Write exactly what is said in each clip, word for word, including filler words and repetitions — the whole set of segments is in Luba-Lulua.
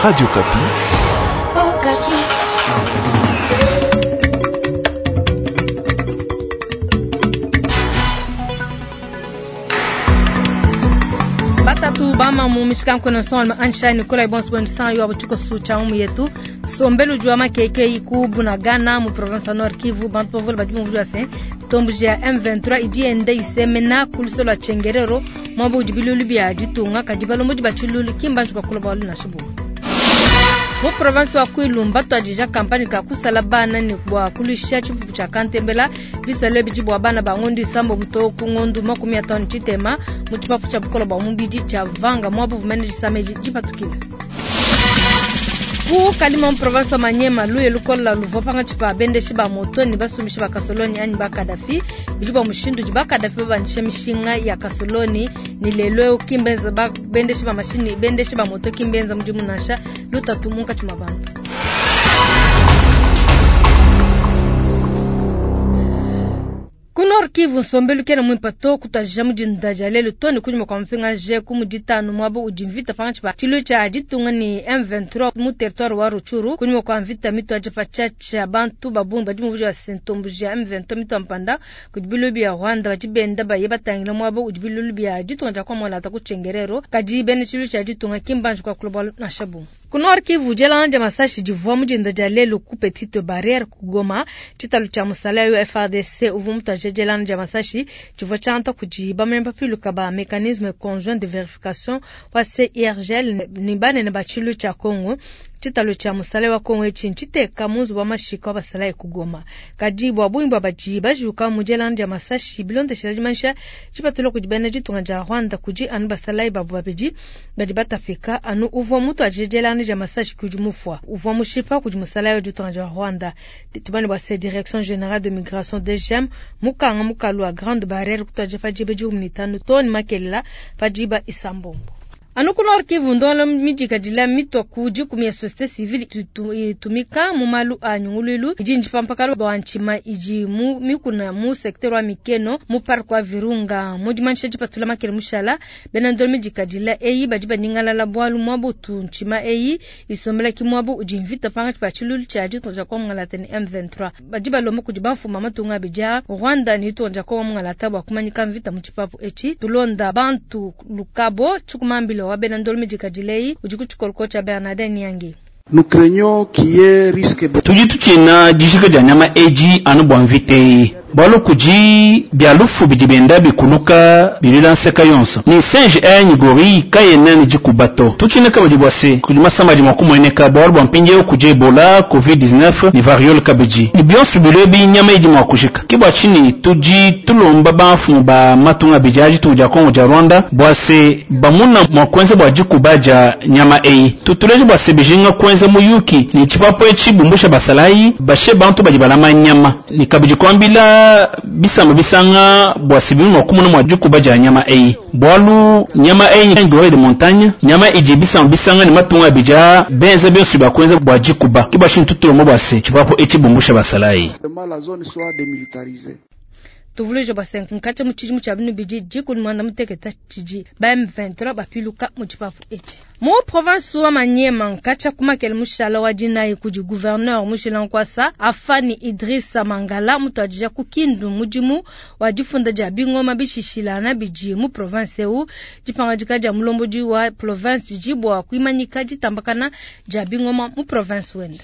Radio Okapi. Oh, Batatu bama mu mishikankono son ansha Nicolas Bonds Bonds yo abuchiko sucha umu yetu sombelu jwa makeke iku Bunagana mu province Nord Kivu bantu bavula badi mu se tombuji ya M vingt-trois idi ende isemena kuluselo lwa Chengerero mwabo udi bilulu bya ditunga kadi balombo bachilulu kimba njuka kula balu na shubu mu province wa Kwilu twajija kampani ka kusala bana ni bwa kulisha chifufu cha kantembela bisale biji bwa bana ba ngondi sambo mutoku ngondu makumi atano chitema mu chipafu cha bukola bwa mubidi cha vanga mwabo vumene jisameji jipatukile ku kalima mu province wa Manyema luye lukola luvo panga chipa bendeshi ba moto ni basumishi ba kasoloni ani ba Kadafi biji bwa mushindu jiba Kadafi babanisha mishinga ya kasoloni ni lelo kimbenza ba bendeshi ba mashini bendeshi ba moto kimbenza mudimu nasha lutatu munka chuma bantu. Ku Nord Kivu nsombelu kena mwipato kutajija mudinda dia lelu toni kunyuma kwa mfinga je ku muditanu mwabo udi mvita panga tshipa tshilu tshia ditunga ni M vingt-trois mu territoire wa Rutshuru kunyuma kwa mvita mitu aja pa tshiatshia bantu babungi badi muvuji wa sentombu ja M vingt-trois mitu mpanda kudi bilulu bia Rwanda badi benda baye batangila mwabo udi bilulu bia ditunga dia kwa mwalata ku Tchengerero kadi bene tshilu tshia ditunga kimbanji kwa kulobwa na shabu. Ku Nord Kivu dielanga dia masashi divua mudinda dia lelu ku Petite Barrière ku Goma tshitalu tshia musala yo F R D C uvua mutaje dielanga dia masashi tshivua tshianta kudi bamemba piluka ba mécanisme conjoint de vérification wa C I R G L ni banene ba tshilu tshia Congo tshitalu tshia musala wa Congo etshi ntshiteka munzu wa mashika wa basala e ku Goma kadi bua bungi bua badi bajuka mu dielanga dia masashi bilondeshela dimanyisha tshipatula kudi bena ditunga dia Rwanda kudi anu basala babu babidi badi batafika anu uvua mutu aje dielanga dia masashi kudi mufwa uvua mushipa kudi musala wa ditunga dia Rwanda tubane bua se direction générale de migration D G M mukanga mukalu wa grande barrière kutaje fajibe diumunitanu toni makelela fajiba isambombo Anu ku Nord Kivu ndolo mijika dila mitwa ku dikumi ya société civile itumika mu malu a nyunguluilu idi njipampakalo bwa nchima idi mu mikuna mu secteur wa Mikeno mu parc wa Virunga mu dimanisha dipatula makele mushala bena ndolo mijika dila eyi badi banyingalala bwalu mwabutu nchima eyi isombela ki mwabu udi mvita panga pa tshilulu tshia ditonja kwa ngalata ni M vingt-trois badi balomba kudi bamfuma matunga bija Rwanda ni tonja kwa ngalata bwa kumanyika mvita mu tshipapu echi tulonda bantu lukabo tshikumambilo wa bena ndolo mijika dilei udi ku tshikoloko tshia Bernardin Nyangi. Nous craignons qu'il y ait risque de Tudi tutshina dijika dia nyama eji anu bua mvita eyi. Bualu kudi bia lufu bidi bienda bikuluka bilila nseka yonso. Ni singe enyi gorille kayena ni dikuba to. Tutshina kabidi bua se kudi masamba adi mua kumueneka bualu bua mpindieu kudi Ebola, COVID dix-neuf ni variole kabidi. Ni bionso bilio bi nyama idi mua kujika. Ke bua tshinyi tudi tulomba bamfumu ba matunga abidi adi ditunga dia Congo dia Rwanda bua se bamuna mua kuenza bua dikuba dia nyama eyi. Tutuleje bua se bijinga kuenza muyuki ni tshipapu etshi bumbusha basalayi bashe bantu badi balama nyama. Ni kabidi kuambila bisamba bisanga bua se bimwe mua kumuna mua dikuba dia nyama eyi. Bualu nyama eyi ni gorille de montagne, nyama idi bisamba bisanga ni matunga abidi aa benza bionso bia kuenza bua dikuba. Ke bua tshinyi tutulomba bua se tshipapu etshi bumbusha basalayi. La zone soit démilitarisée. Tuvulije bua se nkatsha mu tshidimu tshia binu bidi dikumi muanda mutekete tshidi ba M vingt-trois bapiluka mu tshipapu etshi. Mu province wa Maniema nkatsha kumakele mushala wa dinayi kudi gouverneur Mushila Nkwasa Afani Idrissa Mangala mutuadija ku Kindu mudimu wa difunda dia bingoma bishishilana bidi mu province eu dipangadika dia mulombodi wa province dibua kuimanyika ditambakana dia bingoma mu province wenda.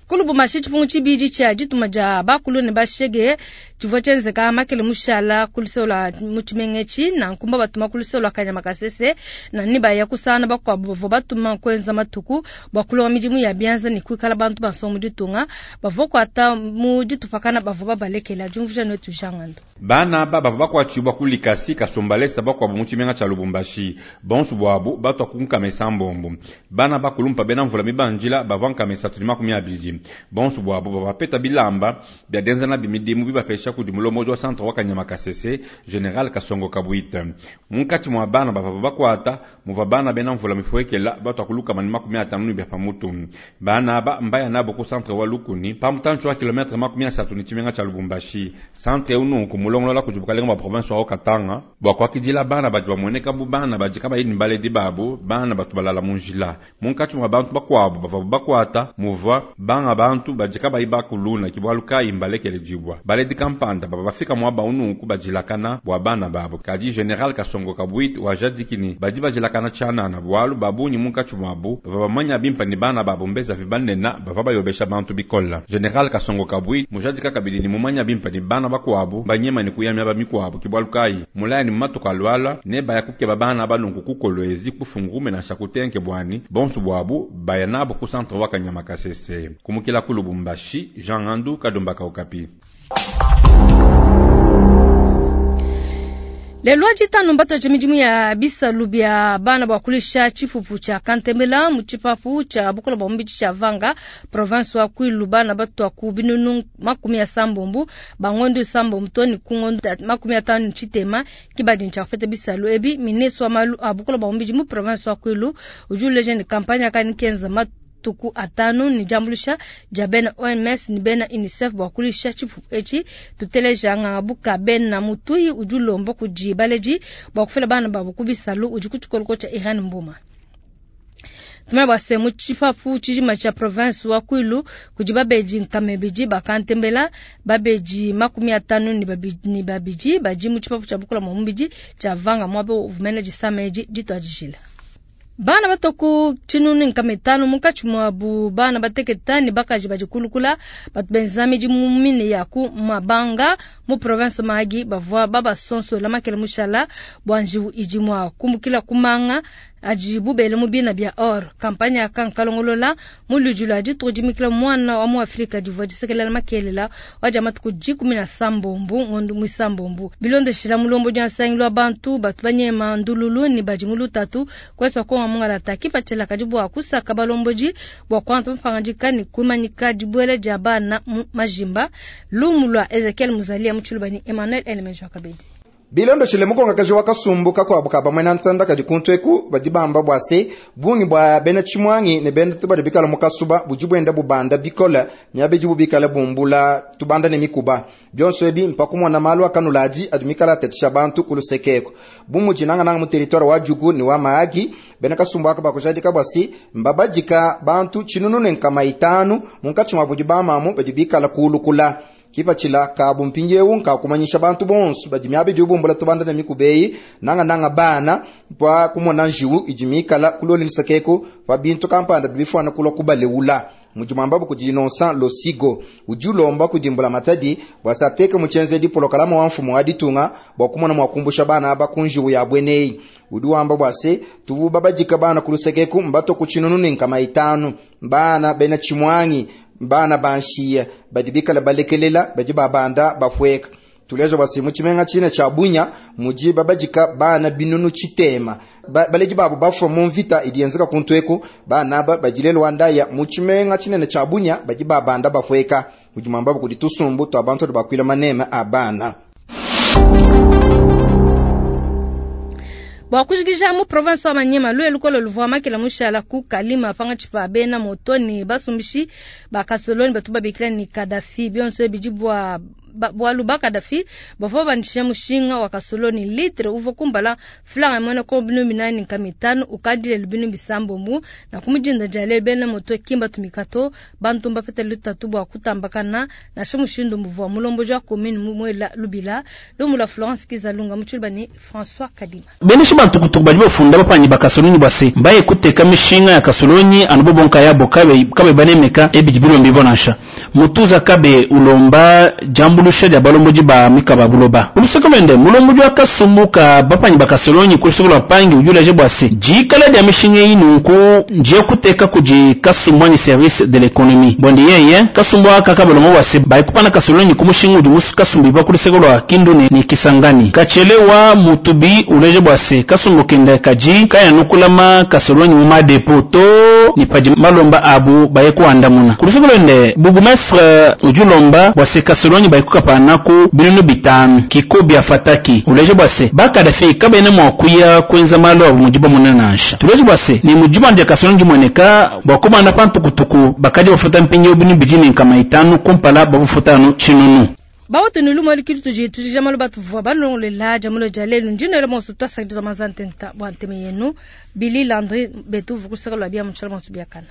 Kulubumbashi tshipungu tshibidi tshia dituma dia bakulu ne bashege tshivua tshienzeka makele mushala kuluselo mu tshimenga na nkumba batuma kuluselo kanyama kasese na ni baya kusana bakuabu bavua batuma kuenza matuku bua kulonga midimu ya bianza ne kuikala bantu basonga mu ditunga bavua kuata mu ditupakana bavua babalekela diumvuija netu jangando. Bana ba bavua bakuatshibua ku likasi kasombalesa bakuabu mu tshimenga tshia Lubumbashi bonso buabu batwa ku nkamesa mbombo bana bakulumpa bena mvula mibanjila bavua nkamesa tuli makumi abidi bonso buabu bavua bapeta bilamba bia denzana bimidimu bibapesha mupesha kudi mulombodi wa centre wa Kanyama Kasese General Kasongo Kabwita. Munkatshi mua bana bavua bakwata muvua bana bena mvula mifuekela batu akulukama ni makumi atanu ni bia pamutu. Bana aba mbaya nabo ku centre wa Lukuni pa mutantshi wa kilometre makumi asatu ni tshimenga tshia Lubumbashi. Centre unu kumulongolola kudi bukalenga bua province wa Katanga bua kuakidila bana badi bamueneka bu bana badi kabayi ni baledi babu, bana batu balala mu njila. Munkatshi mua bantu bakuabu bavua bakwata muvua banga bantu badi kabayi bakuluna kibwalu kayi mbalekele dibwa. Baledi kampanda baba bafika mwaba unu kubadilakana bua bana babo. Kadi General Kasongo Kabwit wajadikini badi badilakana tshianana bualu babunyi munkatshi muabu bava bamanya bimpa ni bana babo mbeza vibanena bava bayobesha bantu bikola. General Kasongo Kabwit mujadika kabidi ni mumanya bimpa ni bana bakuabu banyema ni kuyamya bamikuabu kibwalu kayi mulaya ni matuka alwala ne baya kukeba bana balungu kukolwezi kufungume na shakutenke bwani bonsu bwabu baya nabo ku centre wa Kanyama Kasese. Kumukila ku Lubumbashi, Jean Ngandu Kadumba Kaukapi. Lelo jitano mbato cha mijimu ya bisalu bya bana bwa kulisha chifufu cha Kantembela mu chipafu cha bukola bwa mbichi cha Vanga province wa Kwilu bana batu ku binunu makumi ya sambombu bangondo sambombu toni kungondo makumi atano chitema kibadi cha fete bisalu ebi ministre wa malu abukola bwa mbichi mu province wa Kwilu ujule jeune campagne akani kenza tuku atanu ni jambulisha jabena O M S ni bena UNICEF bwa kulisha chifu echi tuteleja ngabuka bena mutui ujulombo kujibaleji bwa kufela bana babu kubisalu ujikuchukoloko cha Iran Mbuma. Tumaba semu chifafu chijima cha province wa Kwilu kujibabeji nkamebiji bakantembela babeji makumi atanu ni babiji ni babiji baji mu chifafu cha bukula mumbiji cha vanga mwabe uvumene jisameji jitwajijila. Bana batoku chinuni nkametano mukachi mwabu bana bateketani bakaji bajikulukula batu benzamiji mumine yaku mabanga mu province Mahagi bavua baba sonso la makele mushala bwanjibu iji mwa kumbukila kumanga ajibu bele mubina bya or kampanya ya kankalongolola mulujula ajitujimikila mwana wa mu Afrika divua disekelela makelela waja matuku jikumi na sambombu ngondu mwisambombu bilondeshila mulombo dia nsangilo bantu batu banyema ndululu ni bajimulu tatu kwesa kwa mungala takipa chela kadibu akusaka balomboji bwa kwantu mfangajika ni kumanyika dibwele dia bana mu majimba lumulwa Ezekiel Muzalia muchulubani Emmanuel Elemenjo Kabedi. Bilondo shile mukonga kaji wakasumbuka kwa buka bamwe na ntanda kadi kuntweku badibamba bwase bungi bwa bena chimwangi ne benda tubadi bikala mukasuba bujibwenda bubanda bikola miabe jibu bikala bumbula tubanda ne mikuba byonso ebi mpakumwa na malu akanulaji adumikala tetisha bantu kulusekeko bumuji nanga nanga mu territoire wa Jugu ni wa Mahagi bena kasumbu akaba bwasi mbabajika bantu chinunu ne nkama itanu munkachi mwa bujibamamu badibikala kulukula kipa chila kabu mpinjewu nka kumanyisha bantu bonso badimyabe dibumbula tubanda na mikubeyi nanga nanga bana kwa kumona njiwu ijimikala kuloli nisakeko pa bintu kampanda bifwana kulwa kubaleula mujumamba kujinonsa losigo ujulomba kudimbula matadi bwasateke muchenze dipolokalama wa mfumo aditunga bwa kumona mwakumbusha bana aba kunjiwu ya bweneyi udiwamba bwase tuvu babajika bana kulusekeku mbato kuchinunu nkama itanu bana bena chimwangi bana banshia badibikala balekelela badi babanda bafweka tulejo basi muchimenga chine cha Bunya muji babajika bana binunu chitema ba, baleji babu bafwa mu mvita idienzeka kuntweko bana ba bajilelo wandaya muchimenga chine cha Bunya badi babanda bafweka mujimamba kuditusumbu to abantu bakwila manema abana. Bwa kujikisha mu province wa Manyema lwe lukolo luvua makela mushala ku kalima panga chipa bena motoni basumbishi bakasoloni batuba bikila ni Kadafi bionso bijibwa bwalu ba Kadafi bavua bandisha mushinga wa kasoloni litre uvo kumbala flanga mwana ko binu minani nkamitano ukadile lubinu bisambombu na kumujinda jale bena moto kimba tumikato bantu mbafete lutatu bwa kutambakana na shamushindo muvua mulombo jwa commune mumwela lubila lumula Florence Kizalunga muchulbani François Kadima Benisha bantu kutukuba bafunda bapanyi bakasoloni base mbaye kuteka mishinga ya kasoloni anubobonka yabo kabe kabe banemeka ebijibiro mbibonasha mutuza kabe ulomba jambu lusha balomboji ba mikaba buloba ulusekomende mulomboji akasumbuka bapanyi bakasolonyi kulusukula pangi ujulaje bwase jikala dia mishinga yinu ku nje kuteka kuji kasumbwa ni service de l'économie bondi yeye kasumbwa kakabalombo bwase baikupana kasolonyi kumushinga uju kasumbi bakulusekolwa kindu ni, ni kisangani kachelewa mutubi uleje bwase kasumbu kenda kaji kaya nukulama kasolonyi mu madepo to ni paji malomba abu bayekuandamuna kulusekolende bugumestre ujulomba bwase kasolonyi bayiku kukapanaku binunu bitanu. Kikobia Fataki uleja bua se ba Kadafi kabena mua kuya kuenza malu abo mudi bamona nansha. Tuleja bua se ni mudi banja kasona dimueneka bua kubanda pa ntukutuku bakadi bafuta mpindieu binu bidi ne nkama itanu kumpala babufuta anu tshinunu. Bawote ni lumu alikili tuji tujija malu batuvua balongolela jamulo ja lelu ndino monso twasakidwa mazantenta bwa nteme yenu Billy Landry betu vukusaka lwa bia mutshala monso biakana.